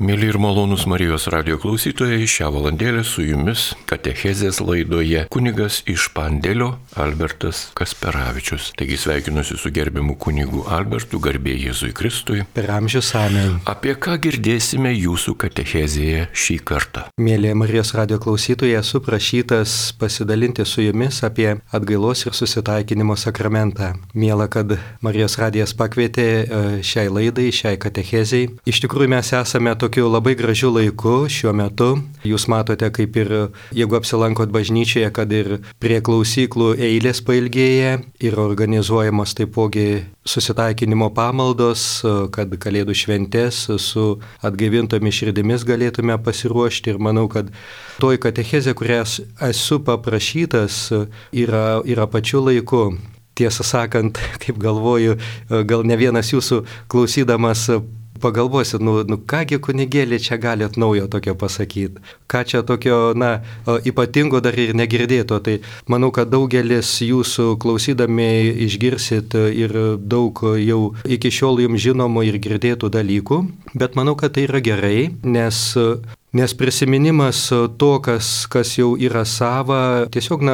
Mėly ir malonūs Marijos radijo klausytojai, šią valandėlę su jumis katechezės laidoje kunigas iš Pandėlio Albertas Kasperavičius. Taigi sveikinuosi su gerbiamu kunigu Albertu, garbė Jėzui Kristui. Per amžius amen. Apie ką girdėsime jūsų katechezėje šį kartą? Mėly Marijos radijo klausytojai, esu prašytas pasidalinti su jumis apie atgailos ir susitaikinimo sakramentą. Miela, kad Marijos radijas pakvietė šiai laidai, šiai katechezei. Iš tikrųjų mes esame tokiu labai gražiu laiku šiuo metu. Jūs matote, kaip ir jeigu apsilankot bažnyčioje, kad ir prie klausyklų eilės pailgėja ir organizuojamos taipogi susitaikinimo pamaldos, kad Kalėdų šventės su atgaivintomis širdimis galėtume pasiruošti. Ir manau, kad toj katechezė, kurią esu paprašytas, yra pačiu laiku. Tiesą sakant, kaip galvoju, gal ne vienas jūsų klausydamas pagalvosit, kągi kunigėlį čia galėt naujo tokio pasakyti, ką čia tokio, ypatingo dar ir negirdėto. Tai manau, kad daugelis jūsų klausydami išgirsit ir daug jau iki šiol jums žinomų ir girdėtų dalykų, bet manau, kad tai yra gerai, nes prisiminimas to, kas jau yra sava, tiesiog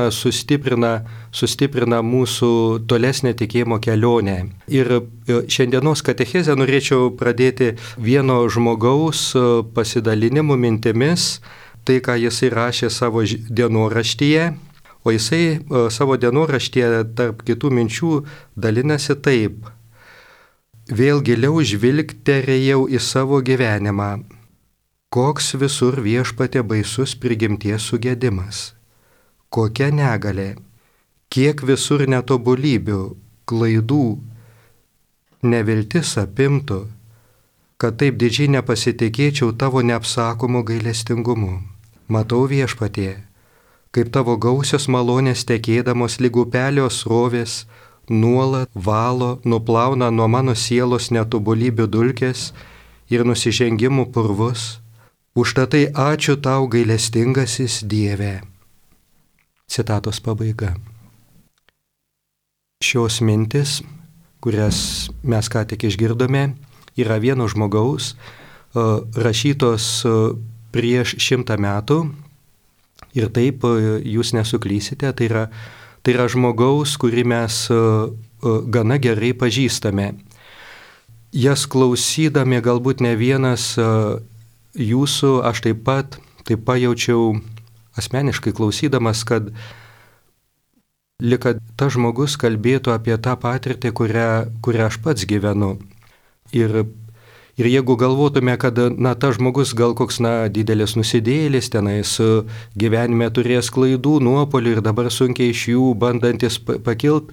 sustiprina mūsų tolesnę tikėjimo kelionę. Ir šiandienos katechezę norėčiau pradėti vieno žmogaus pasidalinimu mintimis, tai ką jisai rašė savo dienoraštyje, o jisai savo dienoraštyje tarp kitų minčių dalinasi taip: vėl giliau žvilgterėjau į savo gyvenimą. Koks visur viešpatė baisus prigimties sugedimas, kokia negalė, kiek visur netobulybių, klaidų, neviltis apimtų, kad taip didžiai nepasitikėčiau tavo neapsakomu gailestingumu. Matau viešpatie, kaip tavo gausios malonės tekėdamos lyg upelio srovės nuolat valo, nuplauna nuo mano sielos netobulybių dulkes ir nusižengimų purvus. Užtatai ačiū tau, gailestingasis Dieve. Citatos pabaiga. Šios mintis, kurias mes ką tik išgirdome, yra vieno žmogaus, rašytos prieš 100 metų. Ir taip jūs nesuklysite, tai yra žmogaus, kurį mes gana gerai pažįstame. Jas klausydami galbūt ne vienas jūsų, aš taip pajaučiau asmeniškai klausydamas, kad lyg kad tas žmogus kalbėtų apie tą patirtį, kurią aš pats gyvenu. Ir jeigu galvotume, kad tas žmogus gal koks didelis nusidėjėlis, tenais gyvenime turės klaidų, nuopolių ir dabar sunkiai iš jų bandantis pakilt,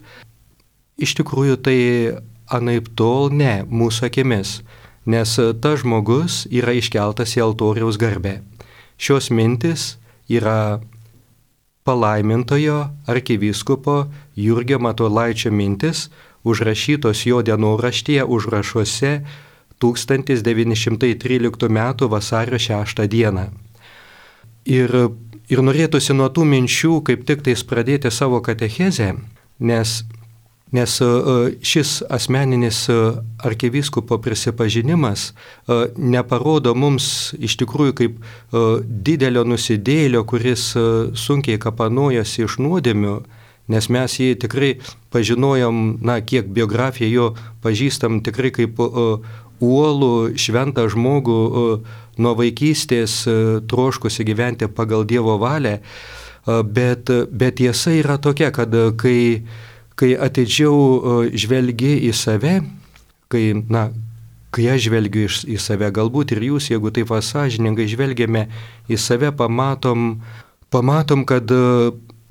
iš tikrųjų tai anaip tol ne mūsų akimis. Nes tas žmogus yra iškeltas į altoriaus garbę. Šios mintis yra palaimintojo arkivyskupo Jurgio Matulaičio mintis, užrašytos jo dienoraštyje užrašuose 1913 m. vasario 6 d. Ir norėtųsi nuo tų minčių kaip tik tais pradėti savo katechezę, nes šis asmeninis arkivyskupo prisipažinimas neparodo mums iš tikrųjų kaip didelio nusidėjėlio, kuris sunkiai kapanojosi iš nuodėmių, nes mes jį tikrai pažinojom, kiek biografiją jo pažįstam tikrai kaip uolų šventą žmogų nuo vaikystės troškusi gyventi pagal Dievo valią, bet tiesa yra tokia, kad kai atidžiau žvelgi į save, kai aš žvelgiu į save, galbūt ir jūs, jeigu taip sąžiningai žvelgiame į save, pamatom, kad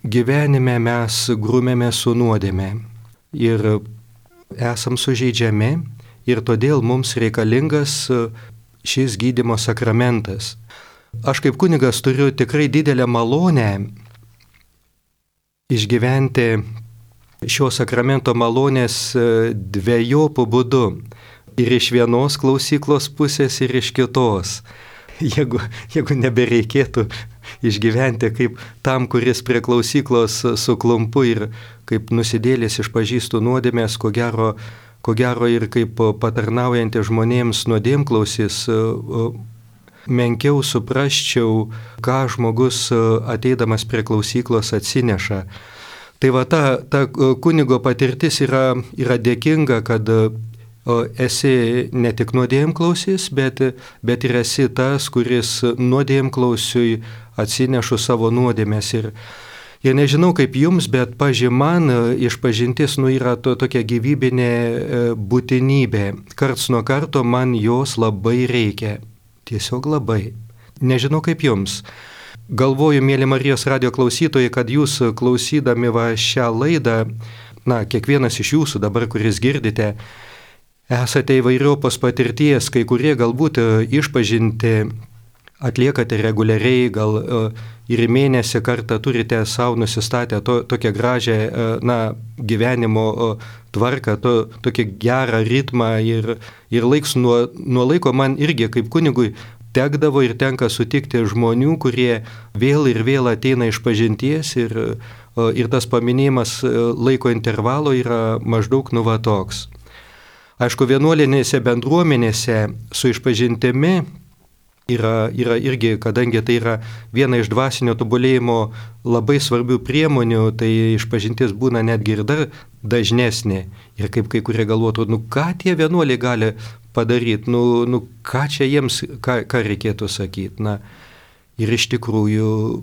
gyvenime mes grūmėme su nuodėme ir esam sužeidžiami ir todėl mums reikalingas šis gydymo sakramentas. Aš kaip kunigas turiu tikrai didelę malonę išgyventi šio sakramento malonės dvejopų būdu. Ir iš vienos klausyklos pusės, ir iš kitos. Jeigu nebereikėtų išgyventi kaip tam, kuris prie klausyklos suklumpu ir kaip nusidėlis išpažįstų nuodėmės, ko gero ir kaip patarnaujantį žmonėms nuodėmklausis, menkiau suprasčiau, ką žmogus ateidamas prie klausyklos atsineša. Tai va ta kunigo patirtis yra dėkinga, kad esi ne tik nuodėmklausis, bet ir esi tas, kuris nuodėmklausiui atsinešu savo nuodėmės. Ir nežinau kaip jums, bet man išpažintis yra tokia gyvybinė būtinybė. Karts nuo karto man jos labai reikia. Tiesiog labai. Nežinau kaip jums. Galvoju, mėly Marijos radijo klausytojai, kad jūs klausydami šią laidą, kiekvienas iš jūsų dabar, kuris girdite, esate įvairiopos patirties, kai kurie galbūt išpažinti atliekate reguliariai, gal ir į mėnesį kartą turite savo nusistatę tokią gražią gyvenimo tvarką, tokį gerą ritmą ir laiks nuo laiko man irgi kaip kunigui tekdavo ir tenka sutikti žmonių, kurie vėl ir vėl ateina iš pažinties ir tas paminėjimas laiko intervalo yra maždaug toks. Aišku, vienuolinėse bendruomenėse su išpažintimi yra irgi, kadangi tai yra viena iš dvasinio tobulėjimo labai svarbių priemonių, tai išpažintis būna netgi ir dar dažnesnė. Ir kaip kai kurie galvotų, ką tie vienuoliai gali padaryti, ką čia jiems, ką reikėtų sakyti. Ir iš tikrųjų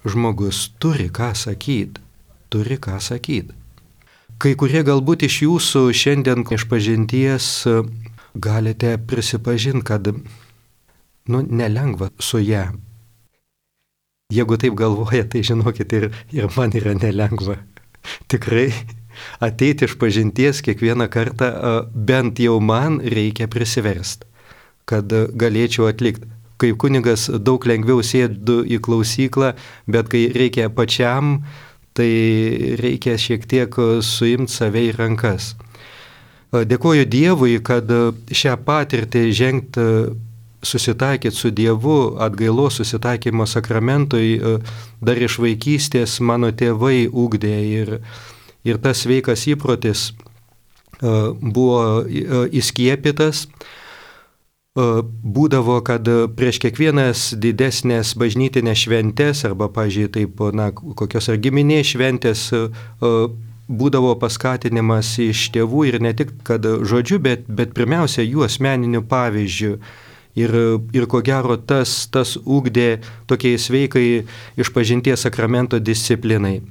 žmogus turi ką sakyti. Kai kurie galbūt iš jūsų šiandien išpažinties galite prisipažinti, kad nelengva su ją. Jeigu taip galvoja, tai žinokit, ir man yra nelengva. Tikrai ateiti iš pažinties kiekvieną kartą, bent jau man reikia prisiversti, kad galėčiau atlikti. Kaip kunigas daug lengviau sėdu į klausyklą, bet kai reikia pačiam, tai reikia šiek tiek suimti save į rankas. Dėkoju Dievui, kad šią patirtį žengti susitaikyti su Dievu, atgailos susitaikymo sakramentui dar iš vaikystės mano tėvai ugdė ir tas sveikas įprotis buvo įskiepytas. Būdavo, kad prieš kiekvienas didesnės bažnytinės šventės arba, pažiūrėjau, taip, kokios ar giminės šventės būdavo paskatinimas iš tėvų ir ne tik, kad žodžiu, bet pirmiausia jų asmeniniu pavyzdžiu. Ir ko gero tas ugdė tokiai sveikai išpažinties sakramento disciplinai.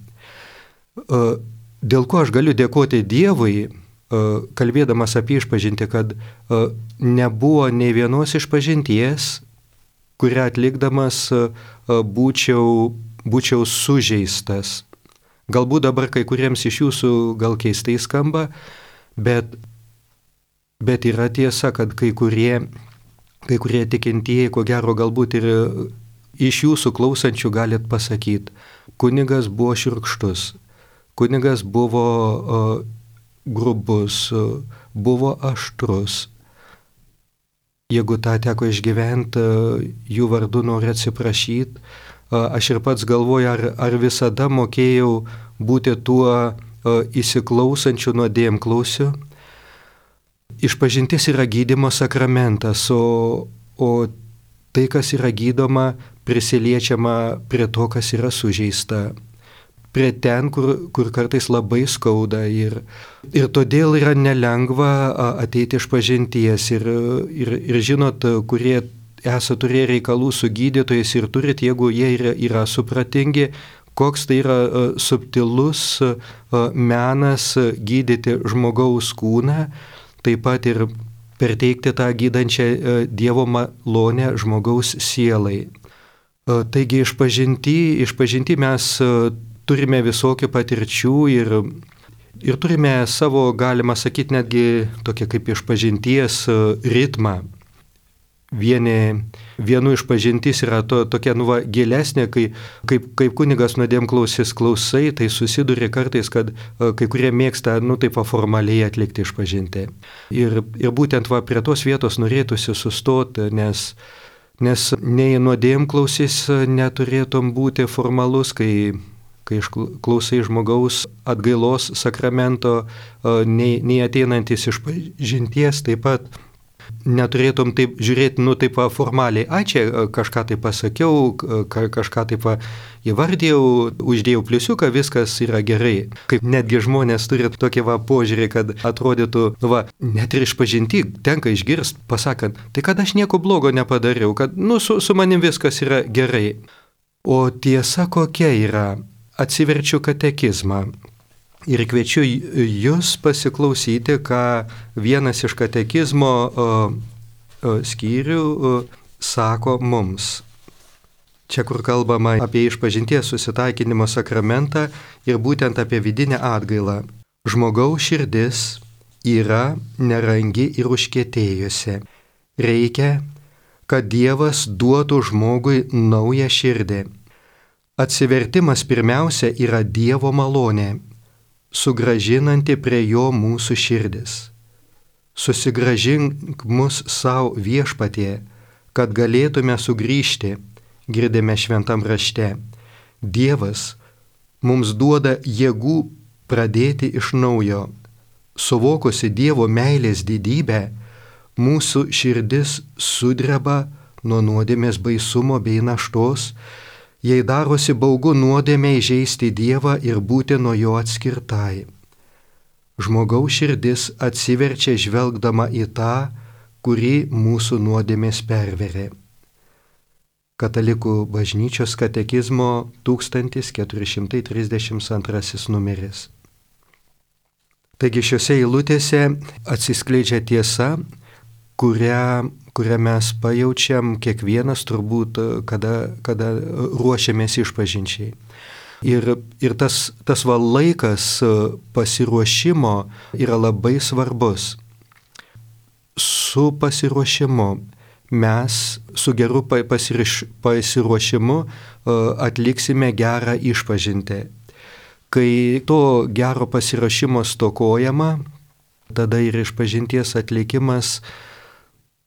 Dėl ko aš galiu dėkoti Dievui, kalbėdamas apie išpažintį, kad nebuvo nei vienos išpažinties, kurią atlikdamas būčiau sužeistas. Galbūt dabar kai kuriems iš jūsų gal keistai skamba, bet yra tiesa, kad kai kurie tikintieji, ko gero galbūt ir iš jūsų klausančių galit pasakyti, kunigas buvo šiurkštus, kunigas buvo grubus, buvo aštrus. Jeigu tą teko išgyventi, jų vardu noriu atsiprašyti. Aš ir pats galvoju, ar visada mokėjau būti tuo įsiklausančiu nuodėmklausiu. Išpažintis yra gydymo sakramentas, o tai, kas yra gydoma, prisiliečiama prie to, kas yra sužeista. Prie ten, kur kartais labai skauda ir todėl yra nelengva ateiti iš pažinties ir žinot, kurie esate turėję reikalų su gydytojais ir turit, jeigu jie yra supratingi, koks tai yra subtilus menas gydyti žmogaus kūną, taip pat ir perteikti tą gydančią Dievo malonę žmogaus sielai. Taigi išpažinti mes turime visokių patirčių ir turime savo, galima sakyti, netgi tokia kaip išpažinties ritmą. Vienu išpažintis yra tokia gilesnė, kaip kunigas nuodėmklausis klausai, tai susiduri kartais, kad kai kurie mėgsta, taip formaliai atlikti išpažintį. Ir būtent prie tos vietos norėtųsi sustoti, nes nei nuodėmklausis neturėtum būti formalus, kai išklausai žmogaus atgailos sakramento, nei ateinantis iš pažinties taip pat Neturėtum taip žiūrėti, taip formaliai, čia kažką tai pasakiau, kažką taip įvardėjau, uždėjau pliusiuką, viskas yra gerai. Kaip netgi žmonės turi tokį požiūrį, kad atrodytų, net ir išpažinti tenka išgirsti, pasakant, tai kad aš nieko blogo nepadariau, kad su manim viskas yra gerai. O tiesa kokia yra? Atsiverčiu katekizmą. Ir kviečiu jūs pasiklausyti, ką vienas iš katekizmo skyrių sako mums. Čia, kur kalbama apie išpažinties susitaikinimo sakramentą ir būtent apie vidinę atgailą. Žmogaus širdis yra nerangi ir užkietėjusi. Reikia, kad Dievas duotų žmogui naują širdį. Atsivertimas pirmiausia yra Dievo malonė, sugražinanti prie jo mūsų širdis. Susigražink mus savo viešpatie, kad galėtume sugrįžti, girdime šventam rašte. Dievas mums duoda jėgų pradėti iš naujo. Suvokusi Dievo meilės didybę, mūsų širdis sudreba nuo nuodėmės baisumo bei naštos, jei darosi baugu nuodėmei įžeisti Dievą ir būti nuo jo atskirtai. Žmogaus širdis atsiverčia žvelgdama į tą, kurį mūsų nuodėmės perverė. Katalikų bažnyčios katekizmo 1432 numeris. Taigi šiuose eilutėse atsiskleidžia tiesa, kurią mes pajaučiam kiekvienas turbūt, kada ruošiamės išpažinčiai. Ir tas laikas pasiruošimo yra labai svarbus. Su pasiruošimu mes su geru pasiruošimu atliksime gerą išpažintį. Kai to gero pasiruošimo stokojama, tada ir išpažinties atlikimas,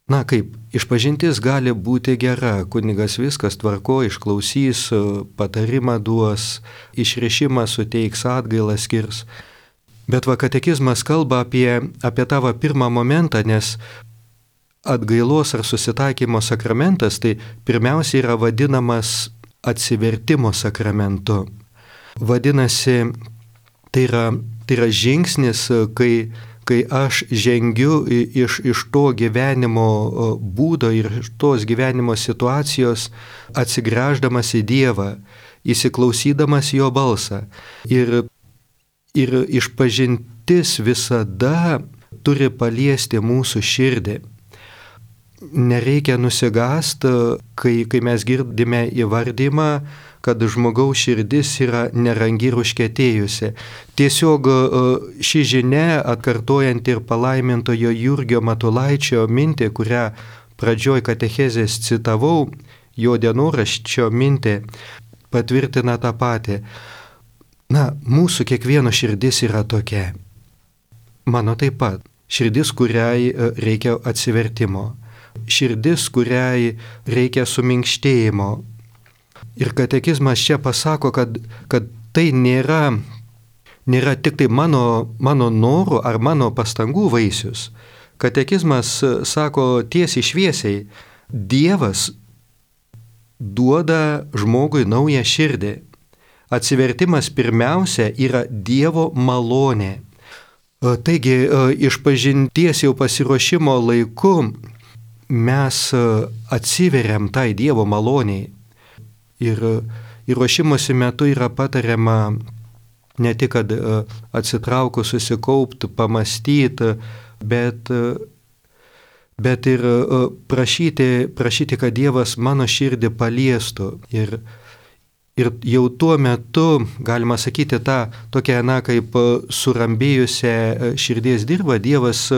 išpažintis gali būti gera, kunigas viskas tvarko, išklausys, patarimą duos, išrišimą suteiks, atgailą skirs. Bet katekizmas kalba apie tavo pirmą momentą, nes atgailos ar susitaikymo sakramentas tai pirmiausia yra vadinamas atsivertimo sakramentu. Vadinasi, tai yra žingsnis, kai aš žengiu iš to gyvenimo būdo ir iš tos gyvenimo situacijos atsigręždamas į Dievą, įsiklausydamas jo balsą. Ir išpažintis visada turi paliesti mūsų širdį. Nereikia nusigąsti, kai mes girdime įvardymą, kad žmogaus širdis yra nerangi ir užkietėjusi. Tiesiog ši žinia, atkartojant ir palaimintojo Jurgio Matulaičio mintį, kurią pradžioj katechezės citavau, jo dienoraščio mintį, patvirtina tą patį. Mūsų kiekvieno širdis yra tokia. Mano taip pat. Širdis, kuriai reikia atsivertimo. Širdis, kuriai reikia suminkštėjimo. Ir katekizmas čia pasako, kad tai nėra tik tai mano norų ar mano pastangų vaisius. Katekizmas sako tiesiai šviesiai, Dievas duoda žmogui naują širdį. Atsivertimas pirmiausia yra Dievo malonė. Taigi, išpažinties jau pasiruošimo laiku mes atsiveriam tai Dievo maloniai. Ir ruošimosi metu yra patariama ne tik, kad atsitraukus susikaupti, pamastyti, bet ir prašyti, kad Dievas mano širdį paliestų. Ir jau tuo metu, galima sakyti, tą tokią, kaip surambėjusią širdies dirvą Dievas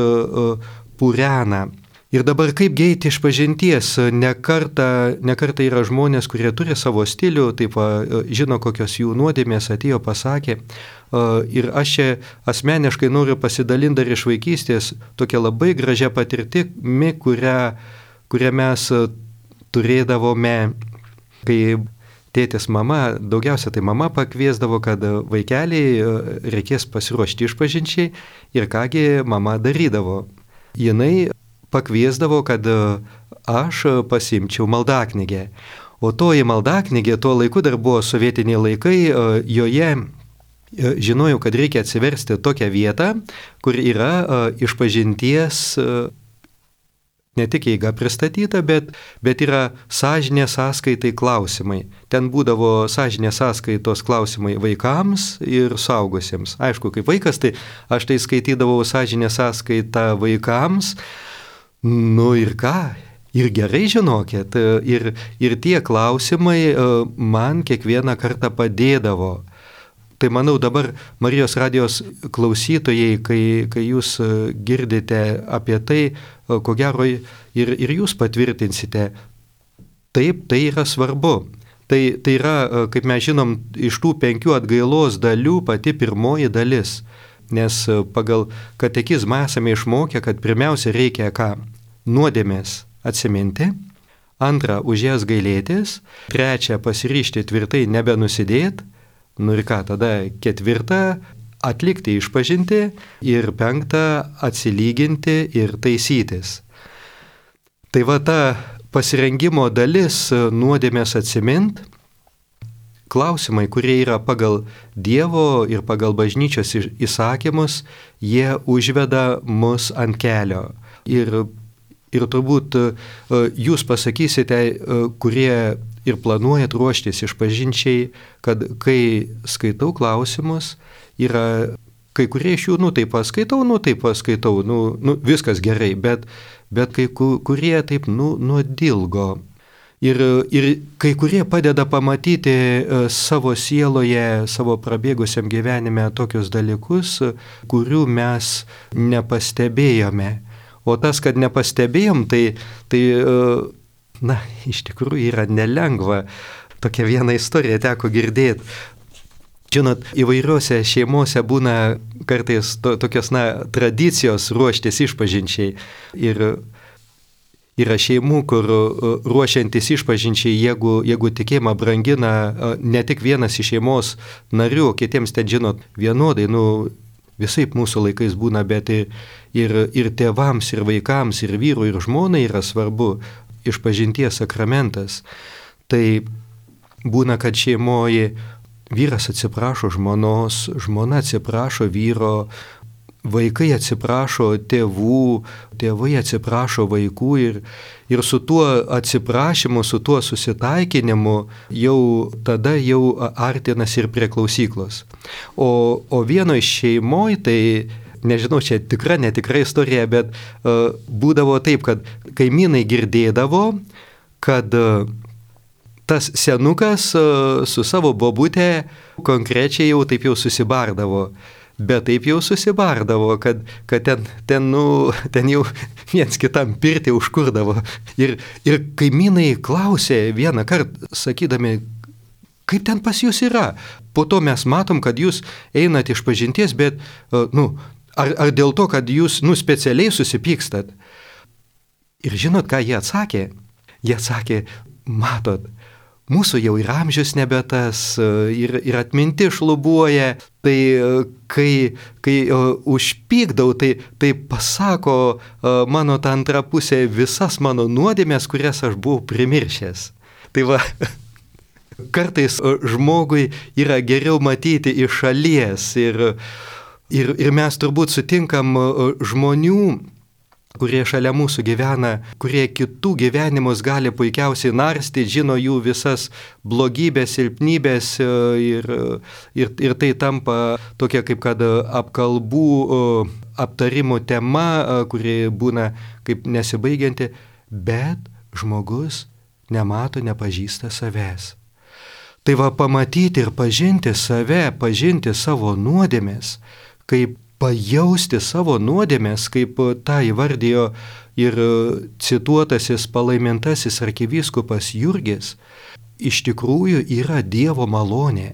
purena. Ir dabar kaip eiti išpažinties, ne kartą yra žmonės, kurie turi savo stilių, žino, kokios jų nuodėmės atėjo, pasakė. Ir aš čia asmeniškai noriu pasidalinti dar iš vaikystės tokia labai gražia patirtimi, kurią mes turėdavome, kai tėtis mama, daugiausia tai mama pakviesdavo, kad vaikeliai reikės pasiruošti išpažinčiai ir kągi mama darydavo. Jinai pakviesdavo, kad aš pasimčiau maldaknygę. O toji maldaknygė, tuo laiku dar buvo sovietiniai laikai, joje žinojau, kad reikia atsiversti tokią vietą, kur yra išpažinties ne tik eiga pristatyta, bet yra sąžinės sąskaitai klausimai. Ten būdavo sąžinės sąskaitos klausimai vaikams ir suaugusiems. Aišku, kaip vaikas, tai aš tai skaitydavau sąžinės sąskaitą vaikams. Nu ir ką? Ir gerai žinokit, ir tie klausimai man kiekvieną kartą padėdavo. Tai manau dabar Marijos radijos klausytojai, kai jūs girdite apie tai, ko gero ir jūs patvirtinsite, taip, tai yra svarbu. Tai yra, kaip mes žinom, iš tų 5 atgailos dalių pati pirmoji dalis. Nes pagal katekizmą esame išmokę, kad pirmiausia reikia ką? Nuodėmės atsiminti, 2 už jas gailėtis, 3 pasiryžti tvirtai nebenusidėt, nu ir ką, tada 4 atlikti išpažinti ir 5 atsilyginti ir taisytis. Tai va ta pasirengimo dalis nuodėmės atsimint, klausimai, kurie yra pagal Dievo ir pagal bažnyčios įsakymus, jie užveda mus ant kelio. Ir turbūt jūs pasakysite, kurie ir planuojat ruoštis išpažinčiai, kad kai skaitau klausimus, yra kai kurie iš jų, taip paskaitau, viskas gerai, bet kai kurie taip, nuodilgo. Ir kai kurie padeda pamatyti savo sieloje, savo prabėgusiam gyvenime tokius dalykus, kurių mes nepastebėjome. O tas, kad nepastebėjom, tai iš tikrųjų yra nelengva. Tokia viena istorija teko girdėti. Žinot, įvairiuose šeimose būna kartais tokios tradicijos ruoštis išpažinčiai. Ir yra šeimų, kur ruošiantis išpažinčiai, jeigu tikėjimą brangina ne tik vienas iš šeimos narių, kitiems ten, žinot, vienodai, visaip mūsų laikais būna, bet ir tėvams, ir vaikams, ir vyrui, ir žmonai yra svarbu išpažinties sakramentas. Tai būna, kad šeimoje vyras atsiprašo žmonos, žmona atsiprašo vyro, vaikai atsiprašo tėvų, tėvai atsiprašo vaikų ir su tuo atsiprašymu, su tuo susitaikinimu tada artinasi ir prie klausyklos. O vienoje šeimoje, tai nežinau, čia netikra istorija, bet būdavo taip, kad kaimynai girdėdavo, kad tas senukas su savo bobutė konkrečiai taip susibardavo. Bet taip susibardavo, kad ten jau viens kitam pirtį užkurdavo. Ir kaimynai klausė vieną kartą, sakydami, kaip ten pas jūs yra. Po to mes matom, kad jūs einat išpažinties, bet, ar dėl to, kad jūs, specialiai susipykstat. Ir žinot, ką jie atsakė? Jie atsakė, matot, mūsų jau ir amžius nebe tas, ir atminti šlubuoja, tai kai užpykdau, tai pasako mano ta antra pusė visas mano nuodėmės, kurias aš buvau primiršęs. Tai va, kartais žmogui yra geriau matyti iš šalies ir mes turbūt sutinkam žmonių, kurie šalia mūsų gyvena, kurie kitų gyvenimus gali puikiausiai narstyti, žino jų visas blogybės, silpnybės ir tai tampa tokia kaip kad apkalbų, aptarimų tema, kuri būna kaip nesibaigianti, bet žmogus nemato, nepažįsta savęs. Tai va pamatyti ir pažinti save, pažinti savo nuodėmės, kaip pajausti savo nuodėmės, kaip tą įvardijo ir cituotasis palaimintasis arkivyskupas Jurgis, iš tikrųjų yra Dievo malonė.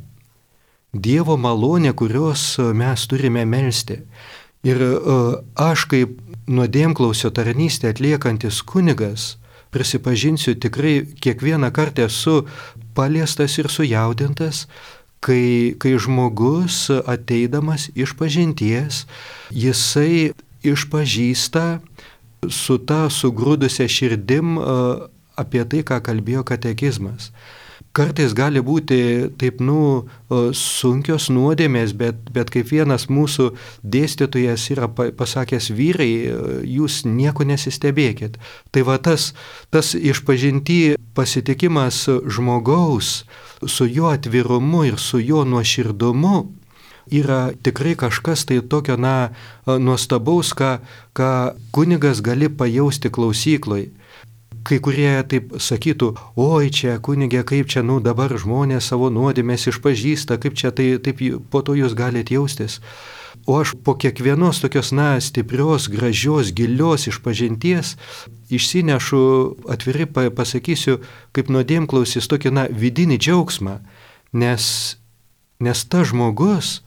Dievo malonė, kurios mes turime melsti. Ir aš kaip nuodėmklausio tarnystę atliekantis kunigas, prisipažinsiu, tikrai kiekvieną kartą esu paliestas ir sujaudintas, kai žmogus ateidamas išpažinties, jisai išpažįsta su ta sugrūdusia širdim apie tai, ką kalbėjo katekizmas. Kartais gali būti taip, sunkios nuodėmės, bet kaip vienas mūsų dėstytojas yra pasakęs, vyrai, jūs nieko nesistebėkit. Tai va tas išpažinti pasitikimas žmogaus su jo atvirumu ir su jo nuoširdumu yra tikrai kažkas tai tokio, nuostabaus, ką kunigas gali pajausti klausykloj. Kai kurie taip sakytų, oi čia kunigė, kaip čia dabar žmonės savo nuodėmės išpažįsta, kaip čia taip po to jūs galite jaustis. O aš po kiekvienos tokios stiprios, gražios, gilios išpažinties išsinešu, atvirai pasakysiu, kaip nuodėmklausis tokį vidinį džiaugsmą, nes tas žmogus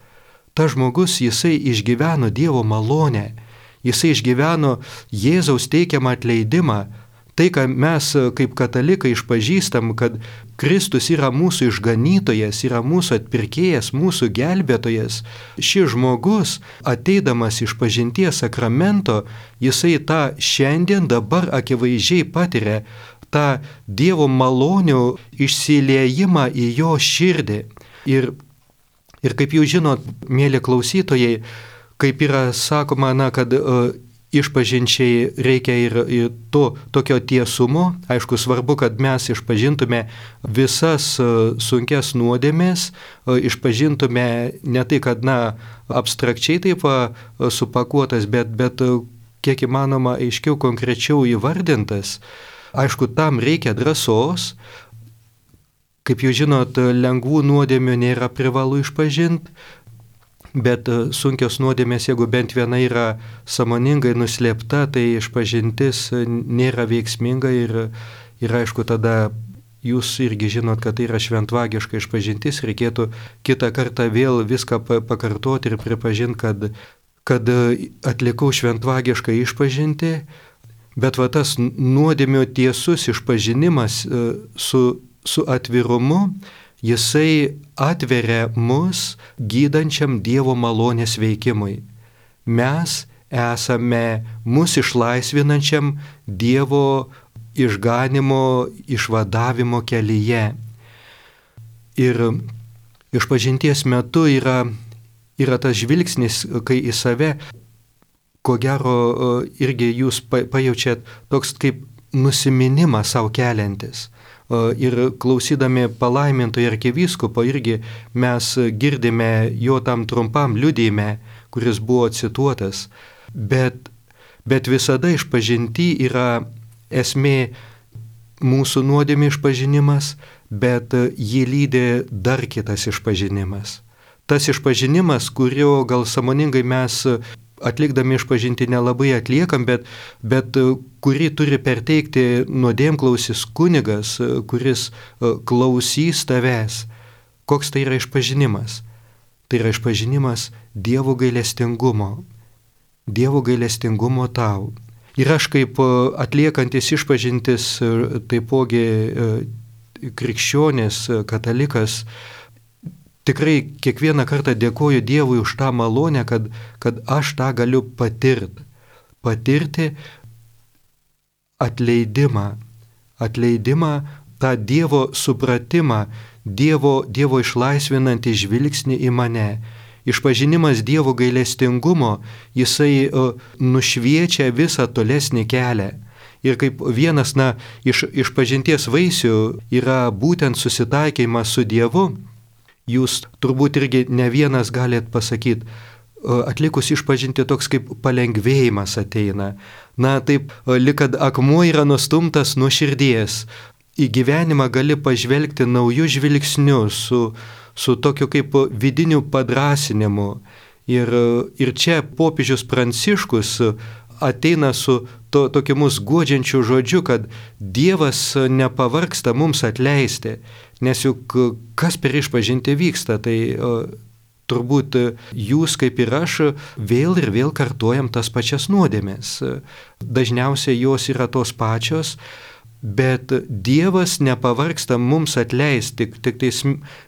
jisai išgyveno Dievo malonę, jisai išgyveno Jėzaus teikiamą atleidimą. Tai, ką mes kaip katalikai išpažįstam, kad Kristus yra mūsų išganytojas, yra mūsų atpirkėjas, mūsų gelbėtojas. Šis žmogus, ateidamas išpažinties sakramento, jisai tą šiandien dabar akivaizdžiai patiria, tą Dievo malonių išsiliejimą į jo širdį. Ir kaip jūs žinot, mėly klausytojai, kaip yra sakoma, kad išpažinčiai reikia ir tokio tiesumo. Aišku, svarbu, kad mes išpažintume visas sunkias nuodėmės, išpažintume ne tai, kad abstrakčiai taip supakuotas, bet kiek įmanoma aiškiau, konkrečiau įvardintas. Aišku, tam reikia drąsos. Kaip jūs žinot, lengvų nuodėmių nėra privalu išpažinti. Bet sunkios nuodėmės, jeigu bent viena yra sąmoningai nuslėpta, tai išpažintis nėra veiksminga ir aišku, tada jūs irgi žinot, kad tai yra šventvagiška išpažintis, reikėtų kitą kartą vėl viską pakartoti ir pripažinti, kad atlikau šventvagišką išpažinti, bet va tas nuodėmių tiesus išpažinimas su atvirumu, jisai atveria mus gydančiam Dievo malonės veikimui. Mes esame mus išlaisvinančiam Dievo išganimo, išvadavimo kelyje. Ir išpažinties metu yra tas žvilgsnis, kai į save, ko gero, irgi jūs pajaučiat toks kaip nusiminimas savo keliantis. Ir klausydami palaimintojo arkivyskupo irgi mes girdime jo tam trumpam liudijime, kuris buvo cituotas. Bet visada išpažinti yra esmė mūsų nuodėmė išpažinimas, bet jį lydi dar kitas išpažinimas. Tas išpažinimas, kurio gal sąmoningai mes atlikdami išpažinti nelabai atliekam, bet kurį turi perteikti nuodėmklausis kunigas, kuris klausys tavęs. Koks tai yra išpažinimas? Tai yra išpažinimas Dievo gailestingumo. Dievo gailestingumo tau. Ir aš kaip atliekantis išpažintis, taipogi krikščionis, katalikas, tikrai kiekvieną kartą dėkoju Dievui už tą malonę, kad aš tą galiu patirti. Patirti atleidimą, tą Dievo supratimą, Dievo išlaisvinantį žvilgsnį į mane. Išpažinimas Dievo gailestingumo, jisai nušviečia visą tolesnį kelią. Ir kaip vienas iš pažinties vaisių yra būtent susitaikymas su Dievu, jūs turbūt irgi ne vienas galėt pasakyti, atlikus išpažinti toks kaip palengvėjimas ateina. Taip, lyg kad akmuo yra nustumtas nuo širdies. Į gyvenimą gali pažvelgti naujų žvilgsnių su tokiu kaip vidiniu padrasinimu. Ir čia popiežius Pranciškus ateina su tokiu mus guodžiančiu žodžiu, kad Dievas nepavargsta mums atleisti, nes juk kas per išpažinti vyksta, tai turbūt jūs kaip ir aš vėl ir vėl kartuojam tas pačias nuodėmės. Dažniausiai jos yra tos pačios, bet Dievas nepavargsta mums atleisti, tik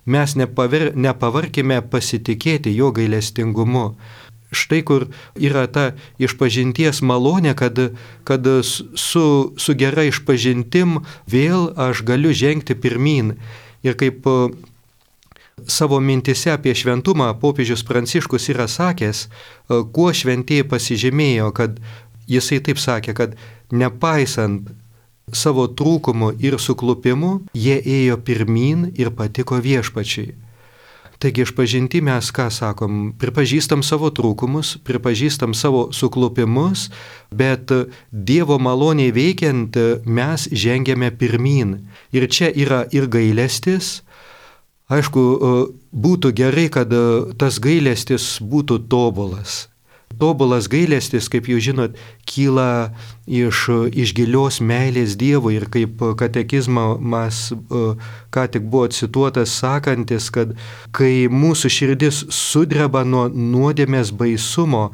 mes nepavarkime pasitikėti jo gailestingumu. štai kur yra ta išpažinties malonė, kad su gera išpažintim vėl aš galiu žengti pirmin. Ir kaip savo mintise apie šventumą popiežius Pranciškus yra sakęs, kuo šventieji pasižymėjo, kad jisai taip sakė, kad nepaisant savo trūkumų ir suklupimų, jie ėjo pirmin ir patiko viešpačiui. Taigi išpažinti mes ką sakom? Pripažįstam savo trūkumus, pripažįstam savo suklupimus, bet Dievo maloniai veikiant mes žengiame pirmin. Ir čia yra ir gailestis. Aišku, būtų gerai, kad tas gailestis būtų tobulas. Tobulas gailestis, kaip jūs žinot, kyla iš gilios meilės Dievui ir kaip katekizmas ką tik buvo cituotas sakantis, kad kai mūsų širdis sudreba nuo nuodėmės baisumo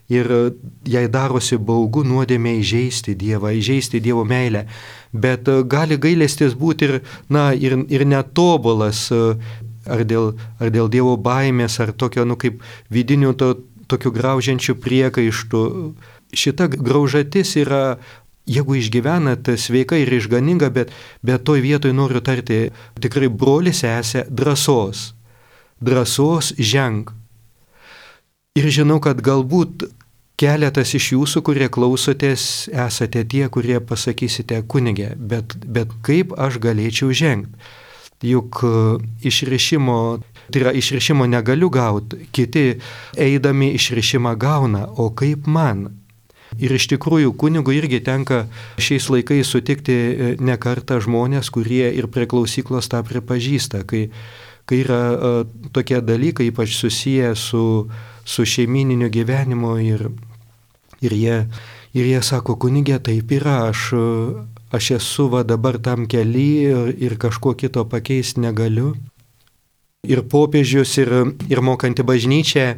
ir jai darosi baugu nuodėmė įžeisti Dievą, įžeisti Dievo meilę, bet gali gailestis būti ir netobulas, ar dėl Dievo baimės, ar tokio, kaip vidinių tokių graužiančių priekaištų. Šita graužatis yra, jeigu išgyvenat, sveika ir išganinga, bet toj vietoj noriu tarti tikrai broli sesė drąsos. Drąsos ženk. Ir žinau, kad galbūt keletas iš jūsų, kurie klausotės, esate tie, kurie pasakysite, kunige, bet kaip aš galėčiau žengti? Juk išrišimo negaliu gauti, kiti eidami išrišimą gauna, o kaip man? Ir iš tikrųjų kunigui irgi tenka šiais laikais sutikti ne kartą žmonės, kurie ir prie klausyklos tą pripažįsta, kai yra tokie dalykai, ypač susiję su šeimininiu gyvenimu ir jie sako, kunigė, taip yra, aš esu dabar tam kely ir kažko kito pakeisti negaliu. Ir popiežius, ir mokanti bažnyčia,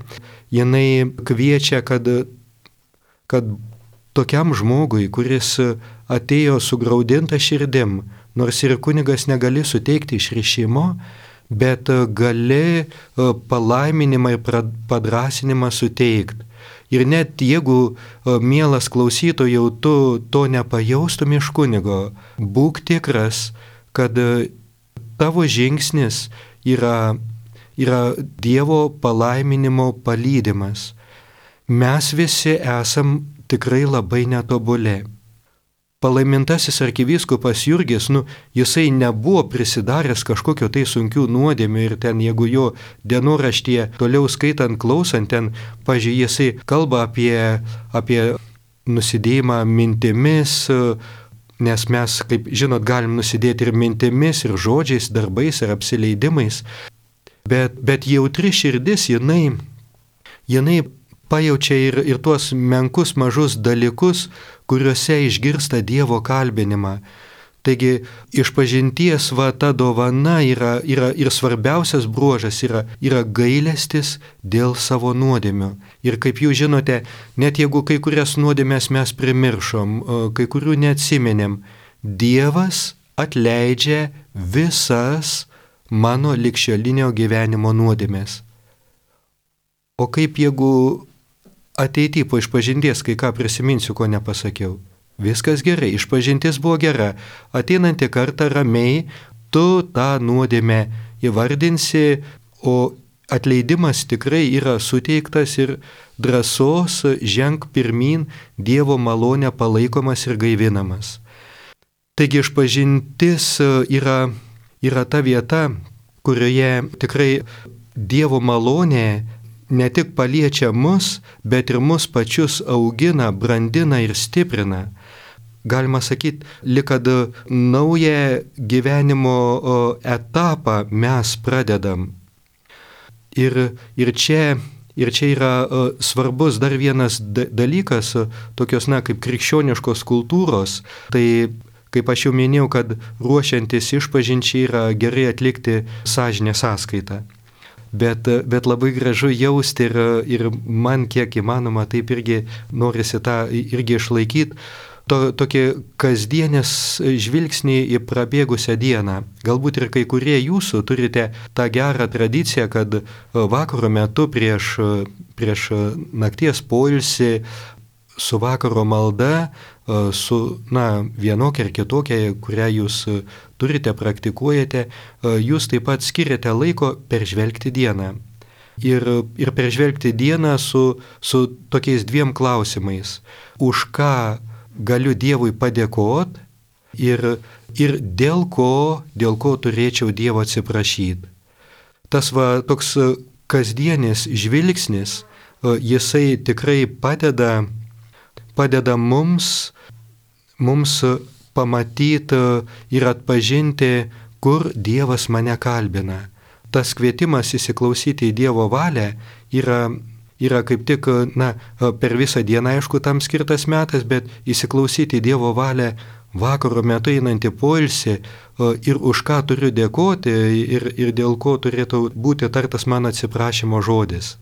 jinai kviečia, kad tokiam žmogui, kuris atėjo sugraudinta širdim, nors ir kunigas negali suteikti išrišimo, bet gali palaiminimą ir padrasinimą suteikti. Ir net jeigu, mielas klausytojau, tu to nepajaustum iš kunigo, būk tikras, kad tavo žingsnis yra Dievo palaiminimo palydimas. Mes visi esam tikrai labai netobuli. Palaimintasis arkivyskupas Jurgis, jisai nebuvo prisidaręs kažkokio tai sunkių nuodėmių ir ten, jeigu jo dienoraštyje toliau skaitant, klausant, ten, pažiūrėjau, jisai kalba apie nusidėjimą mintimis, nes mes, kaip žinot, galim nusidėti ir mintimis, ir žodžiais, darbais, ir apsileidimais, bet jautri širdis, jinai pajaučia ir tuos menkus mažus dalykus, kuriuose išgirsta Dievo kalbinimą. Taigi išpažinties ta dovana yra ir svarbiausias bruožas yra gailestis dėl savo nuodėmių. Ir kaip jūs žinote, net jeigu kai kurias nuodėmės mes primiršom, kai kurių neatsimenėm, Dievas atleidžia visas mano ligšiolinio gyvenimo nuodėmės. O kaip jeigu ateityje po išpažinties kai ką prisiminsiu, ko nepasakiau? Viskas gerai, išpažintis buvo gera, ateinantį kartą ramiai tu tą nuodėmę įvardinsi, o atleidimas tikrai yra suteiktas ir drąsos ženk pirmin, Dievo malonė palaikomas ir gaivinamas. Taigi išpažintis yra ta vieta, kurioje tikrai Dievo malonė ne tik paliečia mus, bet ir mus pačius augina, brandina ir stiprina. Galima sakyti, lyg kad naują gyvenimo etapą mes pradedam. Ir čia yra svarbus dar vienas dalykas, tokios kaip krikščioniškos kultūros. Tai, kaip aš jau minėjau, kad ruošiantis išpažinčiai yra gerai atlikti sąžinės sąskaitą. Bet labai gražu jausti ir man kiek įmanoma taip irgi norisi tą irgi išlaikyti, tokį kasdienės žvilgsnį į prabėgusią dieną. Galbūt ir kai kurie jūsų turite tą gerą tradiciją, kad vakaro metu prieš nakties poilsį su vakaro malda, su vienokia ar kitokia, kurią jūs turite, praktikuojate, jūs taip pat skiriate laiko peržvelgti dieną. Ir peržvelgti dieną su tokiais dviem klausimais. Už ką galiu Dievui padėkoti ir dėl ko turėčiau Dievo atsiprašyti. Tas toks kasdienis žvilgsnis, jisai tikrai padeda mums pamatyti ir atpažinti, kur Dievas mane kalbina. Tas kvietimas įsiklausyti į Dievo valią yra kaip tik, per visą dieną, aišku, tam skirtas metas, bet įsiklausyti į Dievo valią vakaro metu einantį poilsį ir už ką turiu dėkoti ir dėl ko turėtų būti tartas mano atsiprašymo žodis.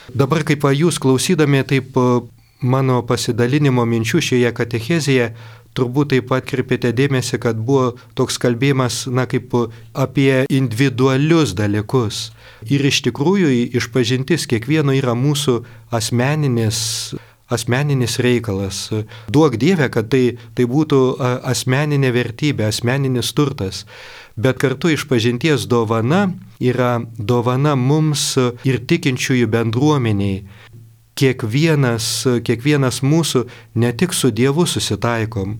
Dabar kaip jūs klausydami taip mano pasidalinimo minčių šioje katechezėje, turbūt taip pat atkreipėte dėmesį, kad buvo toks kalbėjimas, kaip apie individualius dalykus. Ir iš tikrųjų išpažintis kiekvieno yra mūsų asmeninis reikalas. Duok Dieve, kad tai būtų asmeninė vertybė, asmeninis turtas. Bet kartu išpažinties dovana yra dovana mums ir tikinčiųjų bendruomeniai. Kiekvienas mūsų ne tik su Dievu susitaikom,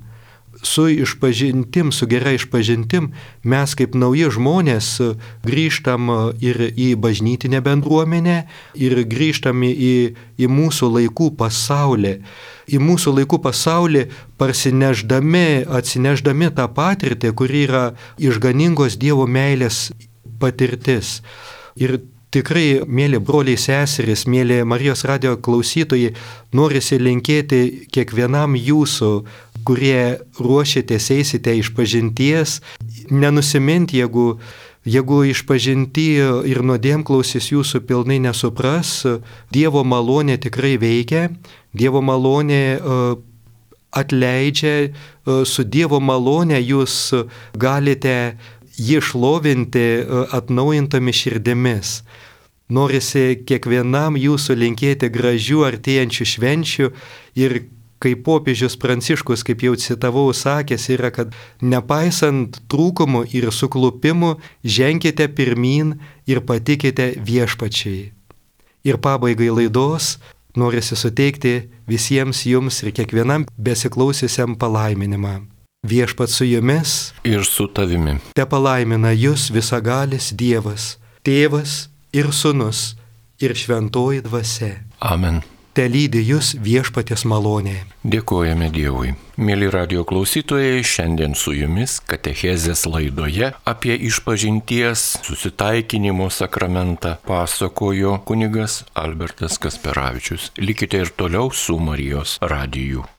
su išpažintim, su gera išpažintim mes kaip nauji žmonės grįžtam ir į bažnytinę bendruomenę ir grįžtam į mūsų laikų pasaulį. Į mūsų laikų pasaulį atsinešdami tą patirtį, kuri yra išganingos Dievo meilės patirtis. Ir tikrai, mėly broliai seserys, mėly Marijos radijo klausytojai, norisi linkėti kiekvienam jūsų, kurie ruošiatės, eisite išpažinties, nenusiminti, jeigu išpažinti ir nuodėmklausis jūsų pilnai nesupras, Dievo malonė tikrai veikia, Dievo malonė atleidžia, su Dievo malonė jūs galite jį šlovinti atnaujintomis širdimis. Norisi kiekvienam jūsų linkėti gražių artėjančių švenčių ir kaip popiežius Pranciškus, kaip jau citavau, sakęs yra, kad nepaisant trūkumų ir suklupimų, ženkite pirmyn ir patikite viešpačiai. Ir pabaigai laidos norisi suteikti visiems jums ir kiekvienam besiklausysiam palaiminimą. Viešpat su jumis ir su tavimi. Te palaimina jus visagalis Dievas, Tėvas ir Sūnus ir Šventoji Dvasia. Amen. Te lydi jūs viešpaties malonė. Dėkojame Dievui. Mėly radijo klausytojai, šiandien su jumis katechezės laidoje apie išpažinties susitaikinimo sakramentą pasakojo kunigas Albertas Kasperavičius. Likite ir toliau su Marijos radiju.